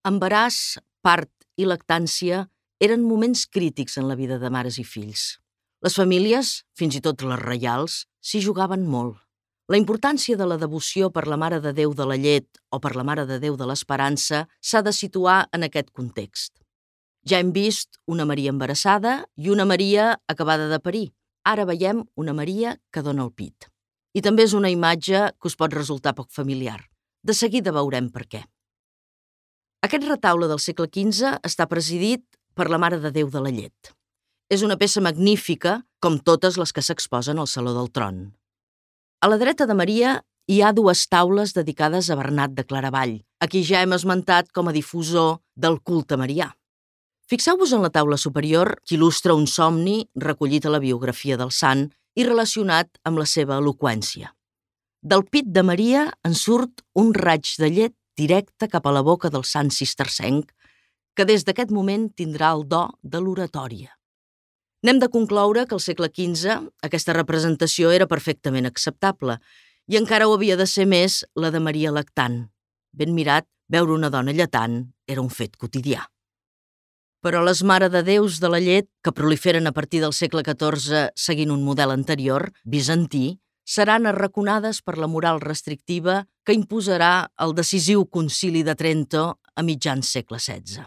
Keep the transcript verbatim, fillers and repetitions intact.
Embaràs, part i lactància eren moments crítics en la vida de mares i fills. Les famílies, fins i tot les reials, s'hi jugaven molt. La importància de la devoció per la Mare de Déu de la Llet o per la Mare de Déu de l'Esperança s'ha de situar en aquest context. Ja hem vist una Maria embarassada i una Maria acabada de parir. Ara veiem una Maria que dona el pit. I també és una imatge que us pot resultar poc familiar. De seguida veurem per què. Aquest retaule del segle quinze està presidit per la Mare de Déu de la Llet. És una peça magnífica, com totes les que s'exposen al Saló del Tron. A la dreta de Maria hi ha dues taules dedicades a Bernat de Claravall, a qui ja hem esmentat com a difusor del culte marià. Fixeu-vos en la taula superior, que il·lustra un somni recollit a la biografia del sant i relacionat amb la seva eloqüència. Del pit de Maria en surt un raig de llet directe cap a la boca del sant cistercenc, que des d'aquest moment tindrà el do de l'oratòria. N'hem de concloure que al segle quinze aquesta representació era perfectament acceptable i encara ho havia de ser més la de Maria lactant. Ben mirat, veure una dona lletant era un fet quotidià. Però les Mare de Déus de la Llet, que proliferen a partir del segle catorze seguint un model anterior, bizantí, seran arraconades per la moral restrictiva que imposarà el decisiu Concili de Trento a mitjans segle setze.